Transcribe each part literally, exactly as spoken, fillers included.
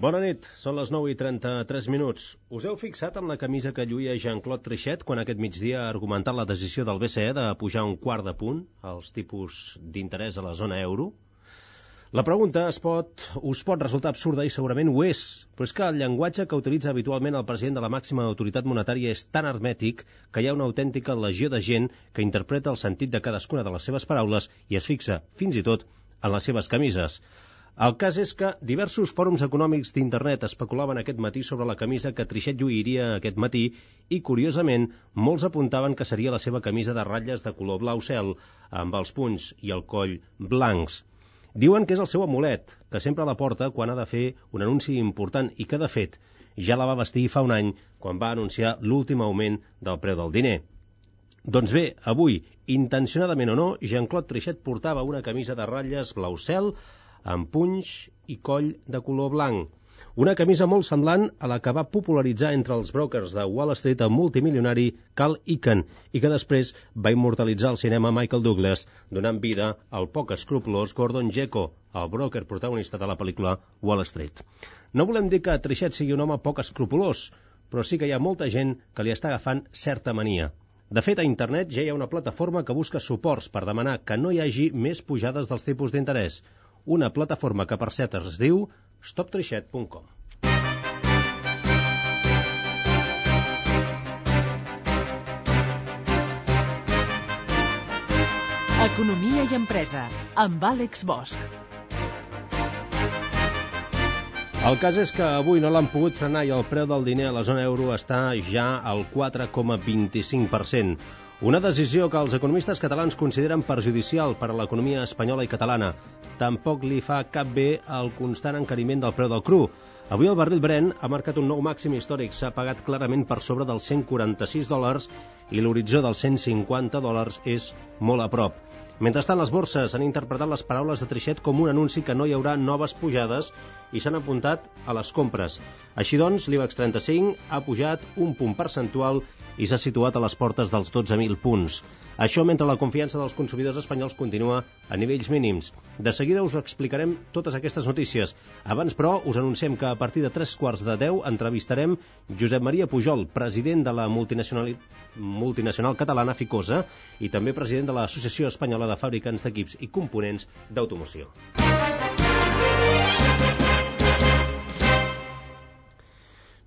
Bona nit, són les nou i trenta-tres minuts. Us heu fixat en la camisa que lluïa Jean-Claude Trichet quan aquest migdia ha argumentat la decisió del B C E de pujar un quart de punt als tipus d'interès a la zona euro? La pregunta es pot, us pot resultar absurda i segurament ho és, però és que el llenguatge que utilitza habitualment el president de la màxima autoritat monetària és tan hermètic que hi ha una autèntica legió de gent que interpreta el sentit de cadascuna de les seves paraules i es fixa, fins i tot, en les seves camises. El cas és que diversos fòrums econòmics d'internet especulaven aquest matí sobre la camisa que Trichet lluiria aquest matí i, curiosament, molts apuntaven que seria la seva camisa de ratlles de color blau cel, amb els punys i el coll blancs. Diuen que és el seu amulet, que sempre la porta quan ha de fer un anunci important i que, de fet, ja la va vestir fa un any quan va anunciar l'últim augment del preu del diner. Doncs bé, avui, intencionadament o no, Jean-Claude Trichet portava una camisa de ratlles blau cel amb punys i coll de color blanc. Una camisa molt semblant a la que va popularitzar entre els brokers de Wall Street el multimilionari Carl Icahn i que després va immortalitzar al cinema Michael Douglas, donant vida al poc escrupolós Gordon Gekko, el broker protagonista de la pel·lícula Wall Street. No volem dir que Trichet sigui un home poc escrupolós, però sí que hi ha molta gent que li està agafant certa mania. De fet, a internet ja hi ha una plataforma que busca suports per demanar que no hi hagi més pujades dels tipus d'interès. Una plataforma que, per cert, es diu stop trichet punt com. Economia i empresa, amb Àlex Bosch. El cas és que avui no l'han pogut frenar i el preu del diner a la zona euro està ja al quatre coma vint-i-cinc per cent. Una decisió que els economistes catalans consideren perjudicial per a l'economia espanyola i catalana. Tampoc li fa cap bé el constant encariment del preu del cru. Avui el barril Brent ha marcat un nou màxim històric, s'ha pagat clarament per sobre dels cent quaranta-sis dòlars i l'horitzó dels cent cinquanta dòlars és molt a prop. Mentrestant, les borses han interpretat les paraules de Trichet com un anunci que no hi haurà noves pujades i s'han apuntat a les compres. Així doncs, l'IBEX trenta-cinc ha pujat un punt percentual i s'ha situat a les portes dels dotze mil punts. Això mentre la confiança dels consumidors espanyols continua a nivells mínims. De seguida us explicarem totes aquestes notícies. Abans, però, us anunciem que a partir de tres quarts de deu entrevistarem Josep Maria Pujol, president de la multinacional, multinacional catalana Ficosa i també president de l'Associació Espanyola de Fabricants d'Equips i Components d'Automoció.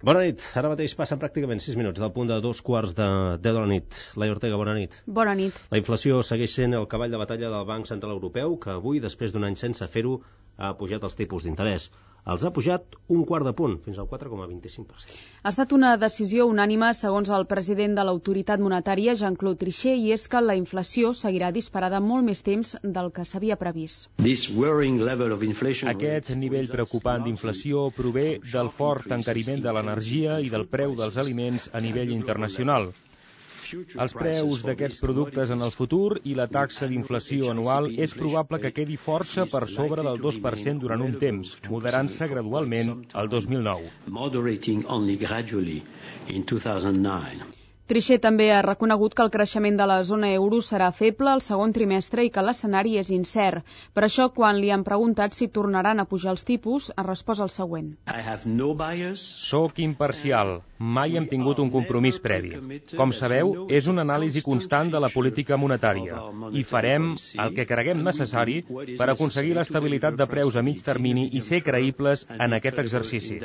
Bona nit. Ara mateix passen pràcticament sis minuts del punt de dos quarts de deu de la nit. Laia Ortega, bona nit. Bona nit. La inflació segueix sent el cavall de batalla del Banc Central Europeu, que avui, després d'un any sense fer-ho, ha pujat els tipus d'interès. Els ha pujat un quart de punt, fins al quatre coma vint-i-cinc per cent. Ha estat una decisió unànime, segons el president de l'autoritat monetària, Jean-Claude Trichet, i és que la inflació seguirà disparada molt més temps del que s'havia previst. Aquest nivell preocupant d'inflació prové del fort encariment de l'energia i del preu dels aliments a nivell internacional. Els preus d'aquests productes en el futur i la taxa d'inflació anual és probable que quedi força per sobre del dos per cent durant un temps, moderant-se gradualment el dos mil nou. Trichet també ha reconegut que el creixement de la zona euro serà feble el segon trimestre i que l'escenari és incert. Per això, quan li han preguntat si tornaran a pujar els tipus, ha respost el següent. Soc imparcial. Mai hem tingut un compromís previ. Com sabeu, és una anàlisi constant de la política monetària i farem el que creguem necessari per aconseguir l'estabilitat de preus a mig termini i ser creïbles en aquest exercici.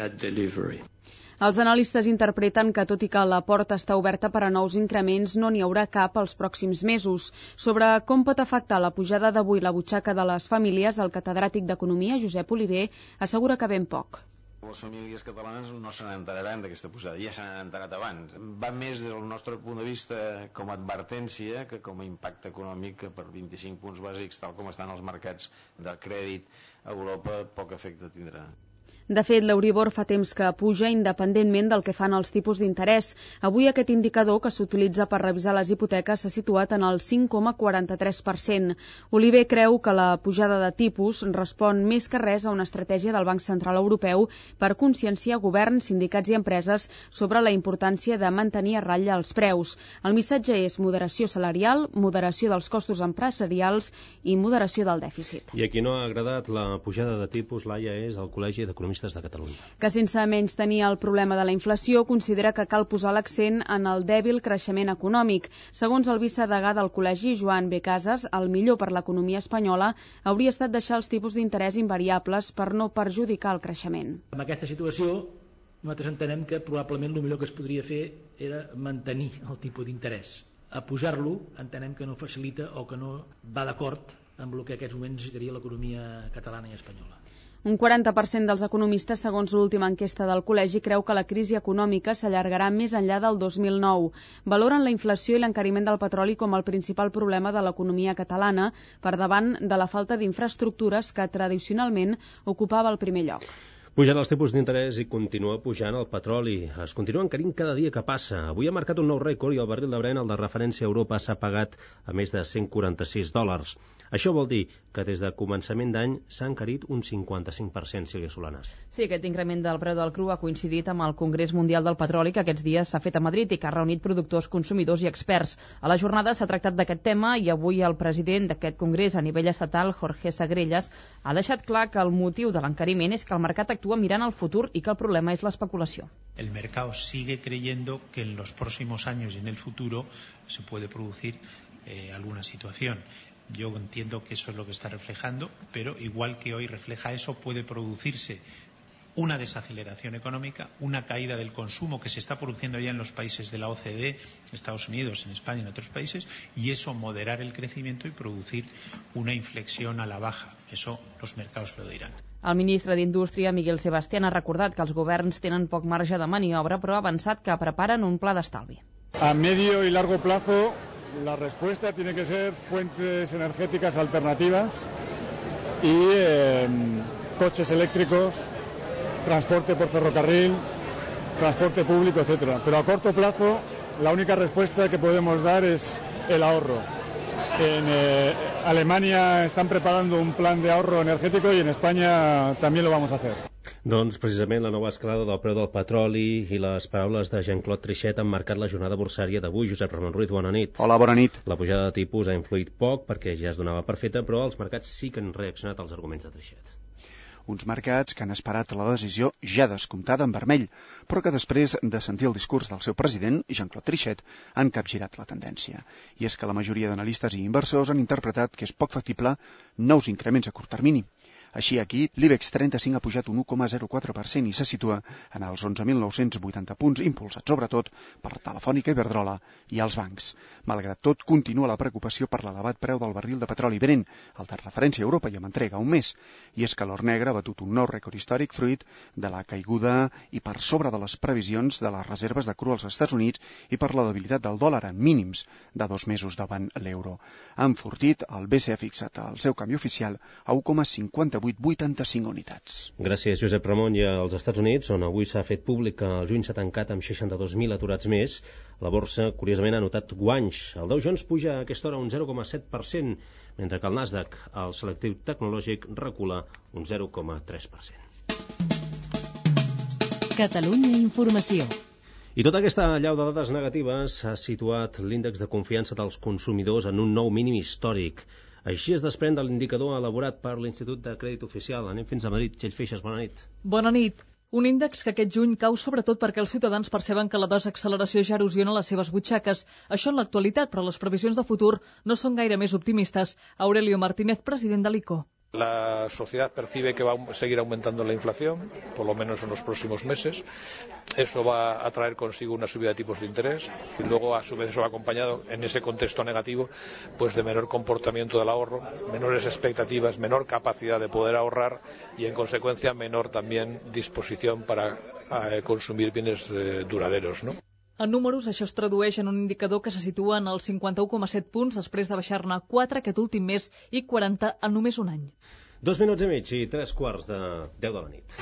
Els analistes interpreten que, tot i que la porta està oberta per a nous increments, no n'hi haurà cap els pròxims mesos. Sobre com pot afectar la pujada d'avui la butxaca de les famílies, el catedràtic d'Economia, Josep Oliver, assegura que ben poc. Les famílies catalanes no se n'enteraran d'aquesta pujada, ja se n'han enterat abans. Va més des del nostre punt de vista com a advertència que com a impacte econòmic, que per vint-i-cinc punts bàsics, tal com estan els mercats de crèdit a Europa, poc efecte tindrà. De fet, l'Euribor fa temps que puja independentment del que fan els tipus d'interès. Avui aquest indicador que s'utilitza per revisar les hipoteques s'ha situat en el cinc coma quaranta-tres per cent. Oliver creu que la pujada de tipus respon més que res a una estratègia del Banc Central Europeu per conscienciar governs, sindicats i empreses sobre la importància de mantenir a ratlla els preus. El missatge és moderació salarial, moderació dels costos empresarials i moderació del dèficit. I a qui no ha agradat la pujada de tipus, Laia, és el Col·legi d'Economistes Economistes de Catalunya. Que sense menys tenir el problema de la inflació, considera que cal posar l'accent en el dèbil creixement econòmic. Segons el vicedegà del Col·legi, Joan B. Casas, el millor per l'economia espanyola hauria estat deixar els tipus d'interès invariables per no perjudicar el creixement. En aquesta situació, nosaltres entenem que probablement el millor que es podria fer era mantenir el tipus d'interès. A pujar-lo entenem que no facilita o que no va d'acord amb el que en aquests moments necessitaria l'economia catalana i espanyola. Un quaranta per cent dels economistes, segons l'última enquesta del Col·legi, creu que la crisi econòmica s'allargarà més enllà del dos mil nou. Valoren la inflació i l'encariment del petroli com el principal problema de l'economia catalana, per davant de la falta d'infraestructures que tradicionalment ocupava el primer lloc. Pugen els tipus d'interès i continua pujant el petroli. Es continua encarint cada dia que passa. Avui ha marcat un nou rècord i el barril de Brent, el de referència a Europa, s'ha pagat a més de cent quaranta-sis dòlars. Això vol dir que des de començament d'any s'ha encarit un cinquanta-cinc per cent, Sílvia Solanas. Sí, aquest increment del preu del cru ha coincidit amb el Congrés Mundial del Petroli que aquests dies s'ha fet a Madrid i que ha reunit productors, consumidors i experts. A la jornada s'ha tractat d'aquest tema i avui el president d'aquest congrés a nivell estatal, Jorge Sagrellas, ha deixat clar que el motiu de l'encariment és que el mercat actua mirant al futur i que el problema és l'especulació. El mercado sigue creyendo que en los próximos años y en el futuro se puede producir eh, alguna situación. Yo entiendo que eso es lo que está reflejando, pero igual que hoy refleja eso, puede producirse una desaceleración económica, una caída del consumo que se está produciendo ya en los países de la O C D E, Estados Unidos, en España y en otros países, y eso moderar el crecimiento y producir una inflexión a la baja. Eso los mercados lo dirán. El ministre d'Indústria, Miguel Sebastián, ha recordat que els governs tenen poc marge de maniobra, però ha avançat que preparen un pla d'estalvi. A medio y largo plazo, la respuesta tiene que ser fuentes energéticas alternativas y eh, coches eléctricos, transporte por ferrocarril, transporte público, etcétera. Pero a corto plazo, la única respuesta que podemos dar es el ahorro. En eh, Alemania están preparando un plan de ahorro energético y en España también lo vamos a hacer. Doncs precisament la nova escalada del preu del petroli i les paraules de Jean-Claude Trichet han marcat la jornada borsària d'avui. Josep Ramon Ruiz, bona nit. Hola, bona nit. La pujada de tipus ha influït poc perquè ja es donava per feta, però els mercats sí que han reaccionat als arguments de Trichet. Uns mercats que han esperat la decisió ja descomptada en vermell, però que després de sentir el discurs del seu president, Jean-Claude Trichet, han capgirat la tendència. I és que la majoria d'analistes i inversors han interpretat que és poc factible nous increments a curt termini. Així aquí, l'IBEX trenta-cinc ha pujat un u coma zero quatre per cent i se situa en els onze mil nou-cents vuitanta punts, impulsat sobretot per Telefònica, Iberdrola i els bancs. Malgrat tot, continua la preocupació per l'elevat preu del barril de petroli Brent, el de referència a Europa i amb entrega un mes. I és que l'or negre ha batut un nou rècord històric fruit de la caiguda i per sobre de les previsions de les reserves de cru als Estats Units i per la debilitat del dòlar en mínims de dos mesos davant l'euro. Ha enfortit el B C E fixat al seu canvi oficial a u coma cinquanta-vuit vuitanta-cinc unitats. Gràcies, Josep Ramon. I als Estats Units, on avui s'ha fet públic que el juny s'ha tancat amb seixanta-dos mil aturats més, la borsa, curiosament, ha notat guanys. El Dow Jones puja a aquesta hora un zero coma set per cent, mentre que el Nasdaq, el selectiu tecnològic, recula un zero coma tres per cent. Catalunya Informació. I tota aquesta allau de dades negatives ha situat l'índex de confiança dels consumidors en un nou mínim històric. Així es desprèn de l'indicador elaborat per l'Institut de Crèdit Oficial. Anem fins a Madrid. Txell Feixes, bona nit. Bona nit. Un índex que aquest juny cau sobretot perquè els ciutadans perceben que la desacceleració ja erosiona les seves butxaques. Això en l'actualitat, però les previsions de futur no són gaire més optimistes. Aurelio Martínez, president de l'I C O. La sociedad percibe que va a seguir aumentando la inflación, por lo menos en los próximos meses. Eso va a traer consigo una subida de tipos de interés y luego, a su vez, eso va acompañado en ese contexto negativo pues de menor comportamiento del ahorro, menores expectativas, menor capacidad de poder ahorrar y, en consecuencia, menor también disposición para eh, consumir bienes eh, duraderos, ¿no? En números, això es tradueix en un indicador que se situa en els cinquanta-u coma set punts després de baixar-ne quatre aquest últim mes i quaranta en només un any. Dos minuts i mig i tres quarts de deu de la nit.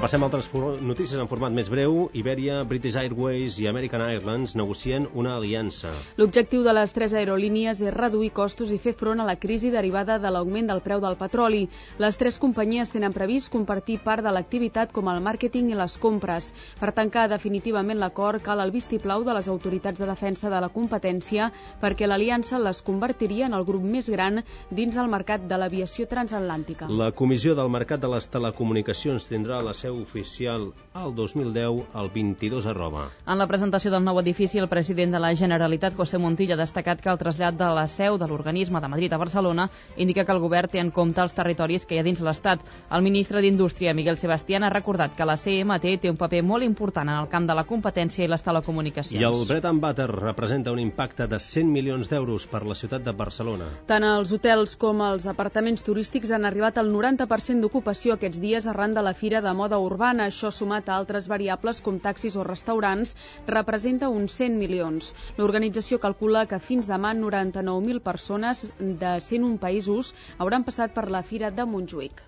Repassem altres notícies en format més breu. Iberia, British Airways i American Airlines negocien una aliança. L'objectiu de les tres aerolínies és reduir costos i fer front a la crisi derivada de l'augment del preu del petroli. Les tres companyies tenen previst compartir part de l'activitat com el màrqueting i les compres. Per tancar definitivament l'acord cal el vistiplau de les autoritats de defensa de la competència perquè l'aliança les convertiria en el grup més gran dins el mercat de l'aviació transatlàntica. La Comissió del Mercat de les Telecomunicacions tindrà la seu oficial al dos mil deu al vint-i-dos arroba. En la presentació del nou edifici, el president de la Generalitat, José Montilla, ha destacat que el trasllat de la seu de l'organisme de Madrid a Barcelona indica que el govern té en compte els territoris que hi ha dins l'Estat. El ministre d'Indústria, Miguel Sebastián, ha recordat que la C M T té un paper molt important en el camp de la competència i les telecomunicacions. I el Bread and Butter representa un impacte de cent milions d'euros per la ciutat de Barcelona. Tant els hotels com els apartaments turístics han arribat al noranta per cent d'ocupació aquests dies arran de la Fira de Moda Urbana. Això, sumat a altres variables com taxis o restaurants, representa uns cent milions. L'organització calcula que fins demà noranta-nou mil persones de cent un països hauran passat per la Fira de Montjuïc.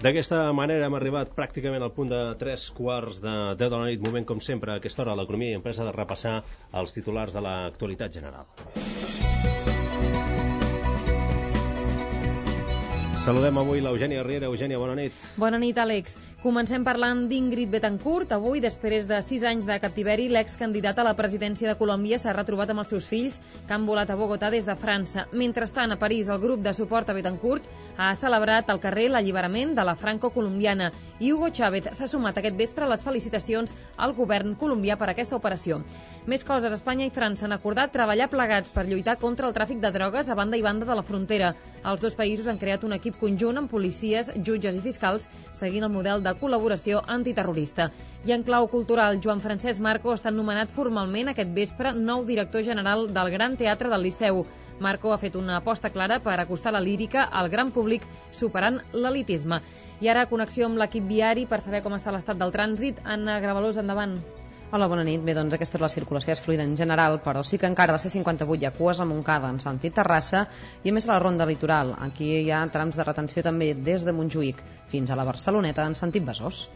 D'aquesta manera hem arribat pràcticament al punt de tres quarts de deu de la nit, moment com sempre a aquesta hora a l'Economia i Empresa de repassar els titulars de l'actualitat general. Saludem avui l'Eugènia Riera. Eugènia, bona nit. Bona nit, Àlex. Comencem parlant d'Ingrid Betancourt. Avui, després de sis anys de captiveri, l'excandidat a la presidència de Colòmbia s'ha retrobat amb els seus fills que han volat a Bogotà des de França. Mentrestant, a París, el grup de suport a Betancourt ha celebrat al carrer l'alliberament de la franco-colombiana i Hugo Chávez s'ha sumat aquest vespre a les felicitacions al govern colombià per aquesta operació. Més coses, Espanya i França han acordat treballar plegats per lluitar contra el tràfic de drogues a banda i banda de la frontera. Els dos països han creat un equip conjunt amb policies, jutges i fiscals seguint el model de col·laboració antiterrorista. I en clau cultural, Joan Francesc Marco ha estat nomenat formalment aquest vespre nou director general del Gran Teatre del Liceu. Marco ha fet una aposta clara per acostar la lírica al gran públic superant l'elitisme. I ara connexió amb l'equip viari per saber com està l'estat del trànsit. Anna Gravalós, endavant. Hola, bona nit. Bé, doncs aquesta és la circulació és fluida en general, però sí que encara a la C cinquanta-vuit hi ha cues a Montcada en sentit Terrassa i a més a la ronda litoral. Aquí hi ha trams de retenció també des de Montjuïc fins a la Barceloneta en sentit Besòs.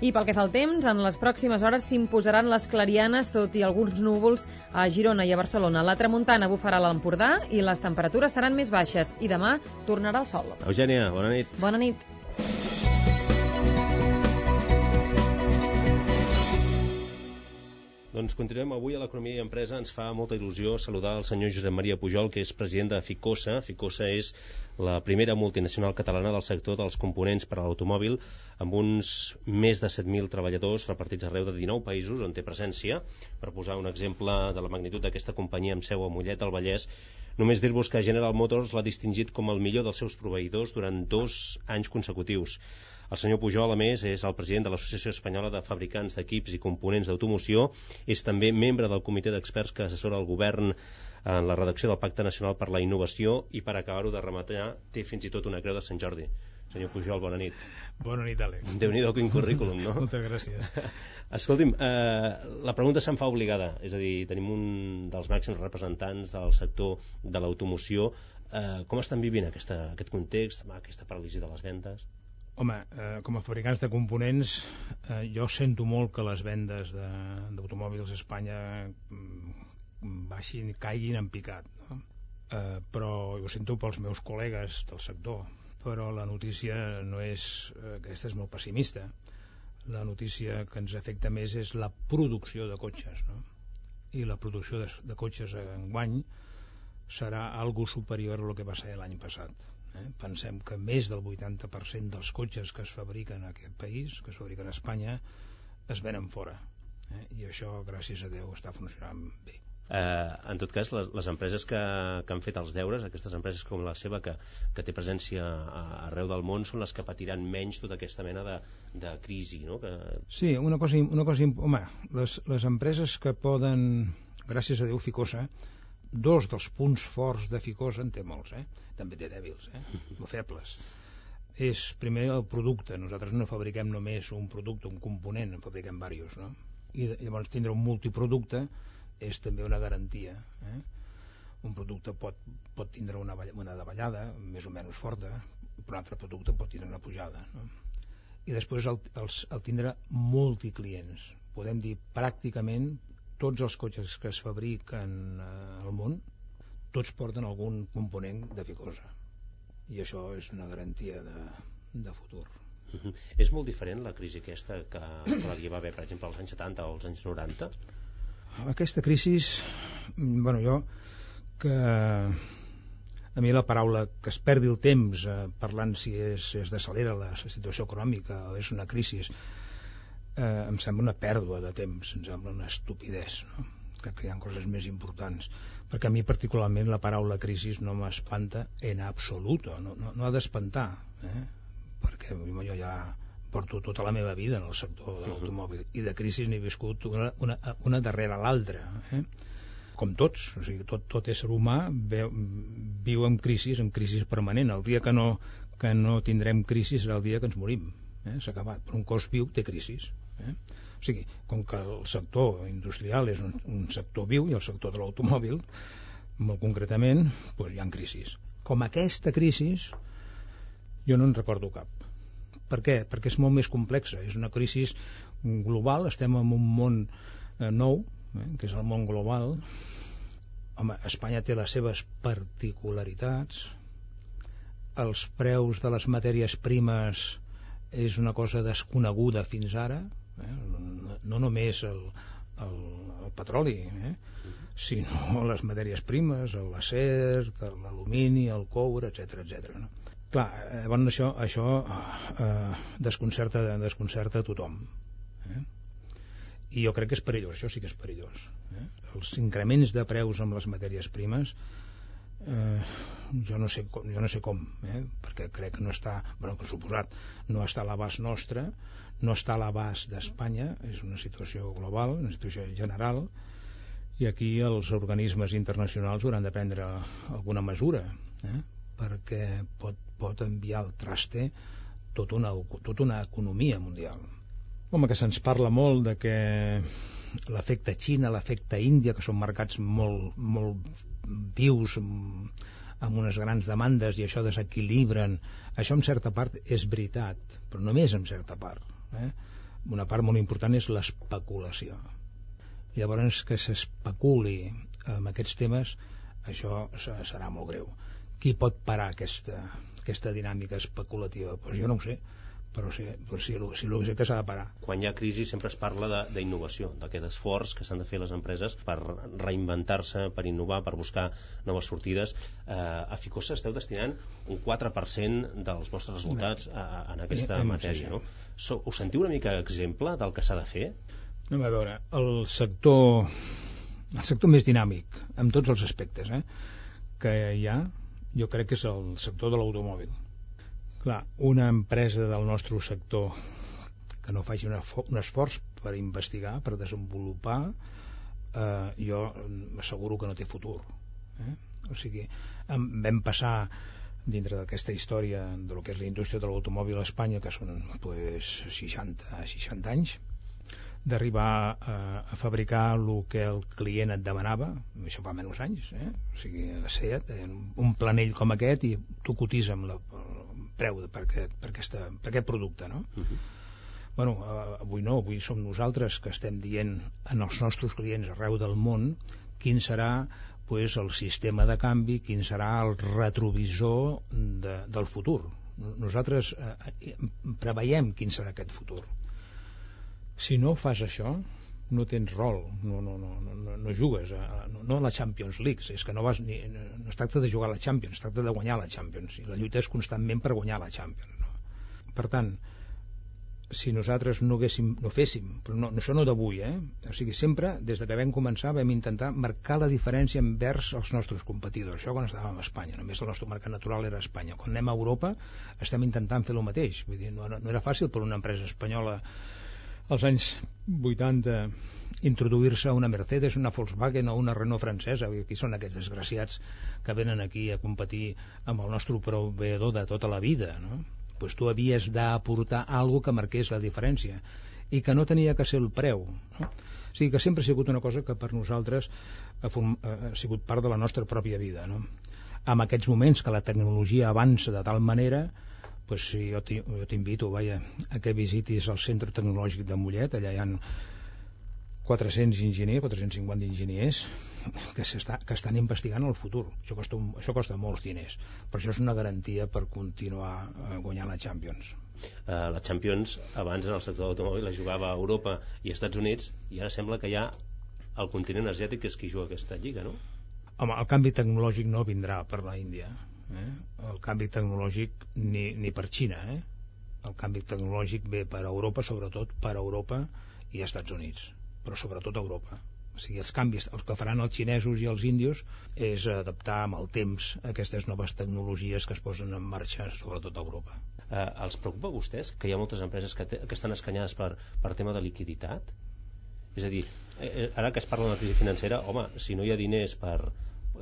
I pel que fa al temps, en les pròximes hores s'imposaran les clarianes, tot i alguns núvols a Girona i a Barcelona. La tramuntana bufarà a l'Empordà i les temperatures seran més baixes i demà tornarà el sol. Eugènia, bona nit. Bona nit. Doncs continuem avui a l'Economia i Empresa. Ens fa molta il·lusió saludar el senyor Josep Maria Pujol, que és president de Ficosa. Ficosa és la primera multinacional catalana del sector dels components per a l'automòbil, amb uns més de set mil treballadors repartits arreu de dinou països on té presència. Per posar un exemple de la magnitud d'aquesta companyia amb seu a Mollet del Vallès, només dir-vos que General Motors l'ha distingit com el millor dels seus proveïdors durant dos anys consecutius. El senyor Pujol, a més, és el president de l'Associació Espanyola de Fabricants d'Equips i Components d'Automoció. És també membre del comitè d'experts que assessora el govern en la redacció del Pacte Nacional per la Innovació i, per acabar-ho de rematar, té fins i tot una creu de Sant Jordi. Senyor Pujol, bona nit. Bona nit, Àlex. Déu-n'hi-do, quin currículum, no? Moltes gràcies. Escolti'm, eh, la pregunta se'n fa obligada. És a dir, tenim un dels màxims representants del sector de l'automoció. Eh, com estan vivint aquesta, aquest context, aquesta paràlisi de les vendes? Home, eh, com a fabricants de components, eh, jo sento molt que les vendes d'automòbils a Espanya mm, baixin, caiguin en picat, no? Eh, però jo sento pels meus col·legues del sector, però la notícia no és, eh, aquesta és molt pessimista. La notícia que ens afecta més és la producció de cotxes, no? I la producció de, de cotxes enguany serà algo superior a lo que va ser l'any passat. Eh? Pensem que més del vuitanta per cent dels cotxes que es fabriquen en aquest país, que es fabriquen a Espanya, es venen fora. Eh? I això, gràcies a Déu, està funcionant bé. Eh, en tot cas, les, les empreses que, que han fet els deures, aquestes empreses com la seva, que, que té presència a, arreu del món, són les que patiran menys tota aquesta mena de, de crisi, no? Que... Sí, una cosa, una cosa home, les, les empreses que poden, gràcies a Déu, Ficosa, dos dels punts forts de Ficosa en té molts, eh? També té dèbils, eh? O febles. És primer el producte. Nosaltres no fabriquem només un producte, un component, en fabriquem diversos, no? I llavors tindre un multiproducte és també una garantia, eh? Un producte pot, pot tindre una, una davallada més o menys forta, per un altre producte pot tindre una pujada, no? I després el, el, el tindre multiclients. Podem dir pràcticament tots els cotxes que es fabriquen eh, al món, tots porten algun component de ficosa, i això és una garantia de, de futur. Uh-huh. És molt diferent la crisi aquesta que, que la hi va haver, per exemple, als anys setanta o als anys noranta? Aquesta crisi, bueno, jo que a mi la paraula que es perdi el temps eh, parlant si és, es desalera la situació econòmica o és una crisi, eh, em sembla una pèrdua de temps, em sembla una estupidesa, no? Crec que hi ha coses més importants, perquè a mi particularment la paraula crisi no m'espanta en absolut, no, no, no ha d'espantar, eh? Perquè jo ja porto tota la meva vida en el sector de l'automòbil i de crisi n'he viscut una, una, una darrere l'altra, eh? Com tots, o sigui, tot, tot ésser humà veu, viu en crisi, en crisi permanent. El dia que no, que no tindrem crisi serà el dia que ens morim, eh? S'ha acabat, però un cos viu té crisi, eh? O sigui, com que el sector industrial és un, un sector viu i el sector de l'automòbil, molt concretament, doncs hi ha crisis. Com aquesta crisi, jo no en recordo cap. Per què? Perquè és molt més complexa. És una crisi global, estem en un món eh, nou, eh, que és el món global. Home, Espanya té les seves particularitats. Els preus de les matèries primes és una cosa desconeguda fins ara, eh? No només el, el, el petroli, eh? Sinó les matèries primes, l'acer, l'alumini, el coure, etcètera, etcètera, no? Clar, llavors això, això eh, desconcerta, desconcerta a tothom, eh? I jo crec que és perillós, això sí que és perillós, eh? Els increments de preus amb les matèries primes, eh, jo no sé com, jo no sé com, eh? Perquè crec que no està, bueno, per suposat, no està a l'abast nostre, no està a l'abast d'Espanya, és una situació global, una situació general, i aquí els organismes internacionals hauran de prendre alguna mesura, eh? Perquè pot, pot enviar al traste tota una, tota una economia mundial. Home, que se'ns parla molt de que l'efecte Xina, l'efecte Índia, que són mercats molt, molt vius, amb unes grans demandes, i això desequilibren, això en certa part és veritat, però només en certa part, eh? Una part molt important és l'especulació. Llavors, que s'especuli amb aquests temes, això serà molt greu. Qui pot parar aquesta, aquesta dinàmica especulativa? Pues jo no ho sé, però sí, però sí, sí, sí que s'ha de parar. Quan hi ha crisi sempre es parla d'innovació, d'aquest esforç que s'han de fer les empreses per reinventar-se, per innovar, per buscar noves sortides. Eh, a Ficosa esteu destinant un quatre per cent dels vostres resultats a, a, en aquesta no, matèria, no? So, us sentiu una mica exemple del que s'ha de fer? No, a veure, el sector, el sector més dinàmic, en tots els aspectes, eh, que hi ha, jo crec que és el sector de l'automòbil. Clar, una empresa del nostre sector que no faci una, un esforç per investigar, per desenvolupar, eh, jo asseguro que no té futur, eh? O sigui, vam passar dintre d'aquesta història de lo que és la indústria de l'automòbil a Espanya, que són pues, seixanta, seixanta anys, d'arribar a, a fabricar el que el client et demanava, això fa menys anys, eh? O sigui, a Seat, un planell com aquest, i tu cotitza amb la, el preu de, per, aquest, per, aquesta, per aquest producte, no? Uh-huh. Bueno, avui no, avui som nosaltres que estem dient en els nostres clients arreu del món quin serà pues, el sistema de canvi, quin serà el retrovisor de, del futur. Nosaltres eh, preveiem quin serà aquest futur. Si no fas això, no tens rol, no, no, no, no, no jugues a, no a la Champions League, és que no, vas ni, no es tracta de jugar a la Champions, es tracta de guanyar la Champions, i la lluita és constantment per guanyar la Champions, no? Per tant, si nosaltres no, haguéssim, no féssim, però no, això no d'avui, eh? O sigui, sempre, des de que vam començar, vam intentar marcar la diferència envers els nostres competidors. Això quan estàvem a Espanya, només el nostre mercat natural era Espanya. Quan anem a Europa estem intentant fer el mateix. Vull dir, no, no era fàcil per una empresa espanyola als anys vuitanta introduir-se a una Mercedes, una Volkswagen o una Renault francesa. Qui són aquests desgraciats que venen aquí a competir amb el nostre proveïdor de tota la vida, no? Pues tu havies d'aportar alguna que marqués la diferència i que no tenia que ser el preu, no? O sigui que sempre ha sigut una cosa que per nosaltres ha, form, ha sigut part de la nostra pròpia vida, no? En aquests moments que la tecnologia avança de tal manera pues sí, jo t'invito, vaja, a que visitis el Centre Tecnològic de Mollet. Allà hi ha quatre-cents enginyers, quatre-cents cinquanta enginyers que, que estan investigant el futur. Això costa, un, això costa molts diners, però això és una garantia per continuar guanyant la Champions. Uh, la Champions abans en el sector de l'automòbil la jugava a Europa i als Estats Units, i ara sembla que ja el continent asiàtic és qui juga aquesta lliga, no? Home, el canvi tecnològic no vindrà per la Índia, eh? El canvi tecnològic ni, ni per Xina, eh? El canvi tecnològic ve per Europa, sobretot per Europa i Estats Units, però sobretot a Europa. O sigui, els canvis, els que faran els xinesos i els índios és adaptar amb el temps aquestes noves tecnologies que es posen en marxa, sobretot a Europa. Eh, els preocupa a vostès que hi ha moltes empreses que, te, que estan escanyades per, per tema de liquiditat? És a dir, eh, ara que es parla de la crisi financera, home, si no hi ha diners per...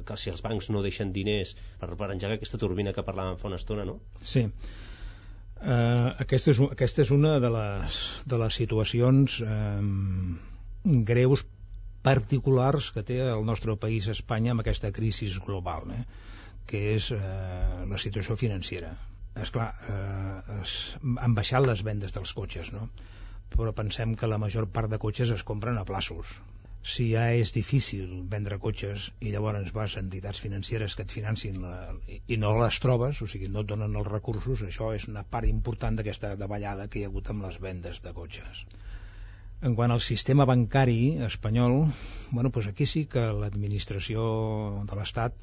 que si els bancs no deixen diners per, per engegar aquesta turbina que parlàvem fa una estona, no? Sí. Uh, aquesta, és, aquesta és una de les, de les situacions um, greus particulars que té el nostre país, Espanya, amb aquesta crisi global, eh? Que és uh, la situació financera. Esclar, eh, es, han baixat les vendes dels cotxes, no? Però pensem que la major part de cotxes es compren a plaços. Si ja és difícil vendre cotxes i llavors vas a entitats financeres que et financin la, i no les trobes, o sigui, no et donen els recursos, això és una part important d'aquesta davallada que hi ha hagut amb les vendes de cotxes. En quant al sistema bancari espanyol, bueno, doncs aquí sí que l'administració de l'Estat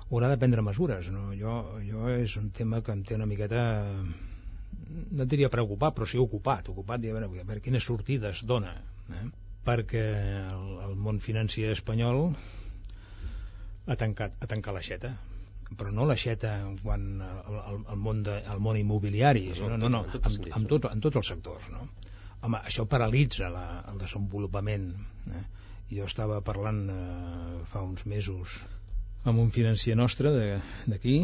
haurà de prendre mesures, no? Jo, jo és un tema que em té una miqueta, no et diria preocupat, però sí ocupat, ocupat i a veure, a veure quines sortides dona, eh? Perquè el, el món financer espanyol ha tancat, ha tancat l'aixeta, però no l'aixeta quan el, el, el, món de, el món immobiliari, no, no, no, no en, en, tot, en tots els sectors, no? Home, això paralitza la, el desenvolupament, eh? Jo estava parlant eh, fa uns mesos amb un financer nostre d'aquí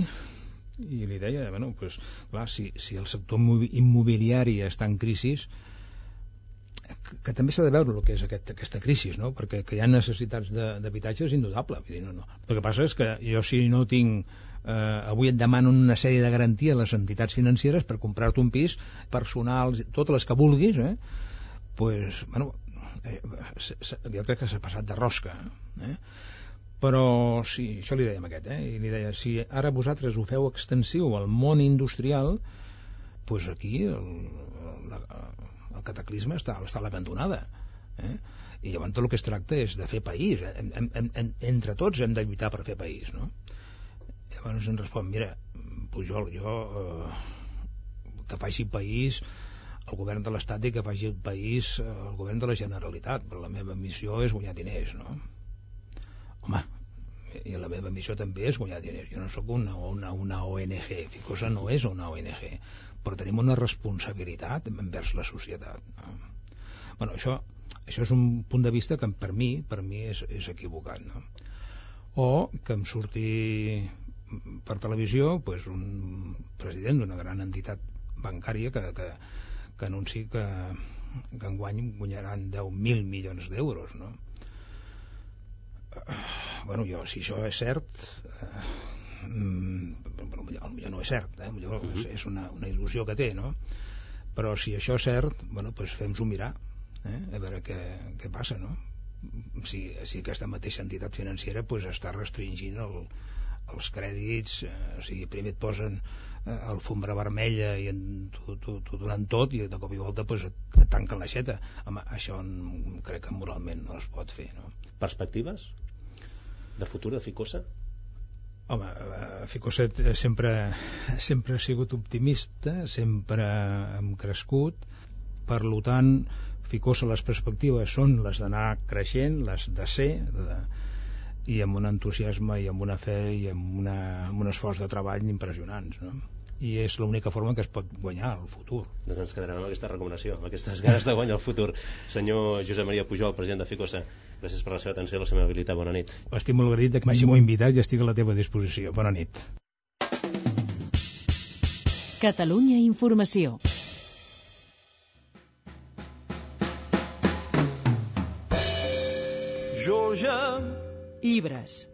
i li deia, bueno, pues, clar, si, si el sector immobiliari està en crisi, que, que també s'ha de veure el que és aquest, aquesta crisi, no? Perquè que hi ha necessitats d'habitatge és indudable. Vull dir, no, no. El que passa és que jo, si no tinc eh, avui et demano una sèrie de garanties a les entitats financeres per comprar-te un pis personal, totes les que vulguis, eh? Pues, bueno, eh, jo crec que s'ha passat de rosca, eh? Però sí, això li dèiem aquest, eh? I li deia, si ara vosaltres ho feu extensiu al món industrial, doncs aquí el, el, el cataclisme està, està a la cantonada, eh? I llavors tot el que es tracta és de fer país, hem, hem, hem, entre tots hem de lluitar per fer país, no? Llavors ens respon, mira, Pujol, jo eh, que faci país el govern de l'Estat i que faci el país el govern de la Generalitat, però la meva missió és guanyar diners, no? Home, i la meva missió també és guanyar diners. Jo no sóc una, una, una O N G, Ficosa no és una O N G, però tenim una responsabilitat envers la societat, no? Bueno, això, això és un punt de vista que per mi, per mi és, és equivocat, no? O que em surti per televisió pues, un president d'una gran entitat bancària que, que, que anunci que, que enguany guanyaran deu mil milions d'euros, no? Bueno, jo, si això és cert, eh, bueno, potser no és cert, eh? Potser és, és una, una il·lusió que té, no? Però si això és cert, bueno, doncs fem-s'ho mirar, eh? A veure què, què passa, no? Si, si aquesta mateixa entitat financera pues, està restringint el, els crèdits, eh, o sigui, primer et posen eh, alfombra vermella i t'ho donen tot i de cop i volta pues, et, et tanquen l'aixeta. Home, això crec que moralment no es pot fer, no? Perspectives de futur de Ficosa? Home, Ficosa sempre, sempre ha sigut optimista, sempre hem crescut, per tant Ficosa les perspectives són les d'anar creixent, les de ser de, i amb un entusiasme i amb una fe i amb, una, amb un esforç de treball impressionants, no? I és l'única forma que es pot guanyar el futur. Doncs ens quedarem amb aquesta recomanació, amb aquestes ganes de guanyar el futur. Senyor Josep Maria Pujol, president de Ficosa, gràcies per la seva atenció i la seva amabilitat. Bona nit. Estic molt agraït que m'hagi invitat i estic a la teva disposició. Bona nit. Catalunya Informació. Georgia. Llibres.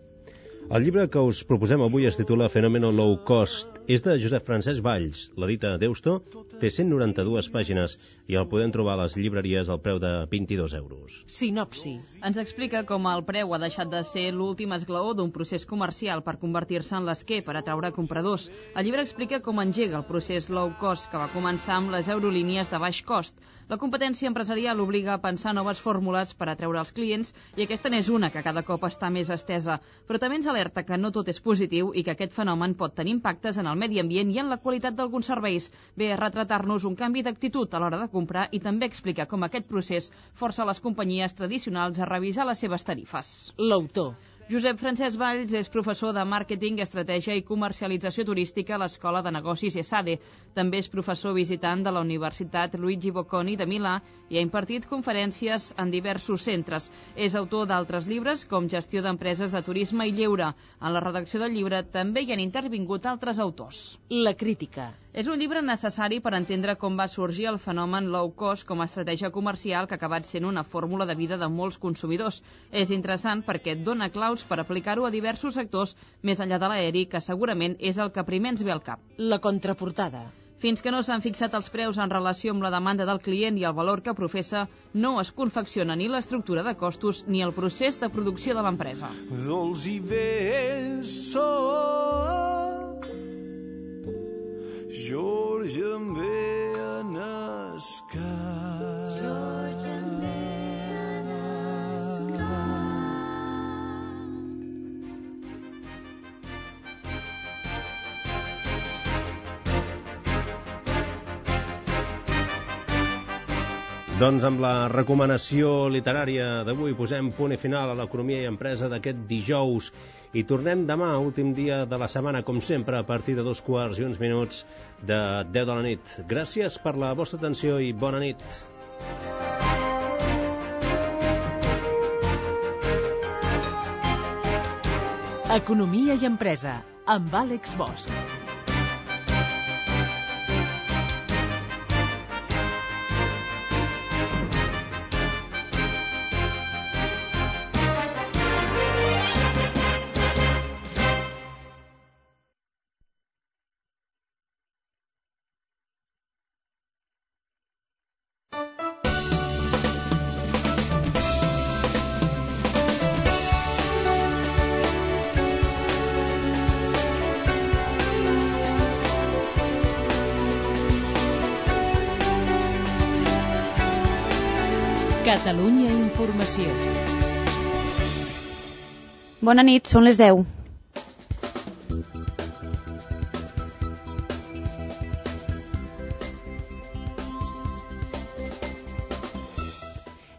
El llibre que us proposem avui es titula Fenomeno Low Cost és de Josep Francesc Valls. L'edita Deusto, té cent noranta-dues pàgines i el podem trobar a les llibreries al preu de vint-i-dos euros. Sinopsi. Ens explica com el preu ha deixat de ser l'últim esglaó d'un procés comercial per convertir-se en l'esquer per atraure compradors. El llibre explica com engega el procés low cost que va començar amb les eurolínies de baix cost. La competència empresarial obliga a pensar noves fórmules per atraure els clients i aquesta n'és una que cada cop està més estesa. Però també ens alerta que no tot és positiu i que aquest fenomen pot tenir impactes en el medi ambient i en la qualitat d'alguns serveis. Ve a retratar-nos un canvi d'actitud a l'hora de comprar i també explica com aquest procés força les companyies tradicionals a revisar les seves tarifes. L'autor. Josep Francesc Valls és professor de Màrqueting, Estratègia i Comercialització Turística a l'Escola de Negocis ESADE. També és professor visitant de la Universitat Luigi Bocconi de Milà i ha impartit conferències en diversos centres. És autor d'altres llibres com Gestió d'empreses de turisme i lleure. En la redacció del llibre també hi han intervingut altres autors. La crítica. És un llibre necessari per entendre com va sorgir el fenomen low cost com a estratègia comercial que ha acabat sent una fórmula de vida de molts consumidors. És interessant perquè et dona claus per aplicar-ho a diversos sectors més enllà de l'aeri, que segurament és el que primer ens ve al cap. La contraportada. Fins que no s'han fixat els preus en relació amb la demanda del client i el valor que professa, no es confecciona ni l'estructura de costos ni el procés de producció de l'empresa. Dolç i vell sol, George em ve en escar. George em ve en escar. Doncs amb la recomanació literària d'avui posem punt i final a l'economia i empresa d'aquest dijous i tornem demà, últim dia de la setmana, com sempre, a partir de dos quarts i uns minuts de deu de la nit. Gràcies per la vostra atenció i bona nit. Economia i empresa, amb Àlex Bosch. Catalunya Informació. Bona nit, són les deu.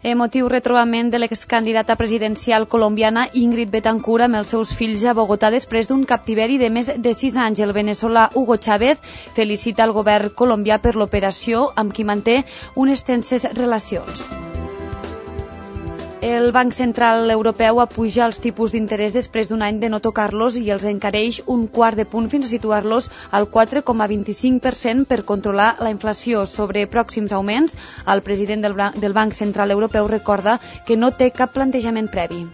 Emotiu retrobament de l'excandidata presidencial colombiana Ingrid Betancourt amb els seus fills a Bogotà després d'un captiveri de més de sis anys. El veneçolà Hugo Chávez felicita el govern colombià per l'operació amb qui manté unes tenses relacions. El Banc Central Europeu apuja els tipus d'interès després d'un any de no tocar-los i els encareix un quart de punt fins a situar-los al quatre coma vint-i-cinc per cent per controlar la inflació. Sobre pròxims augments, el president del Banc Central Europeu recorda que no té cap plantejament previ.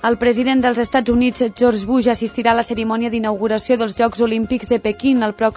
El president dels Estats Units, George Bush, assistirà a la cerimònia d'inauguració dels Jocs Olímpics de Pequín el pròxim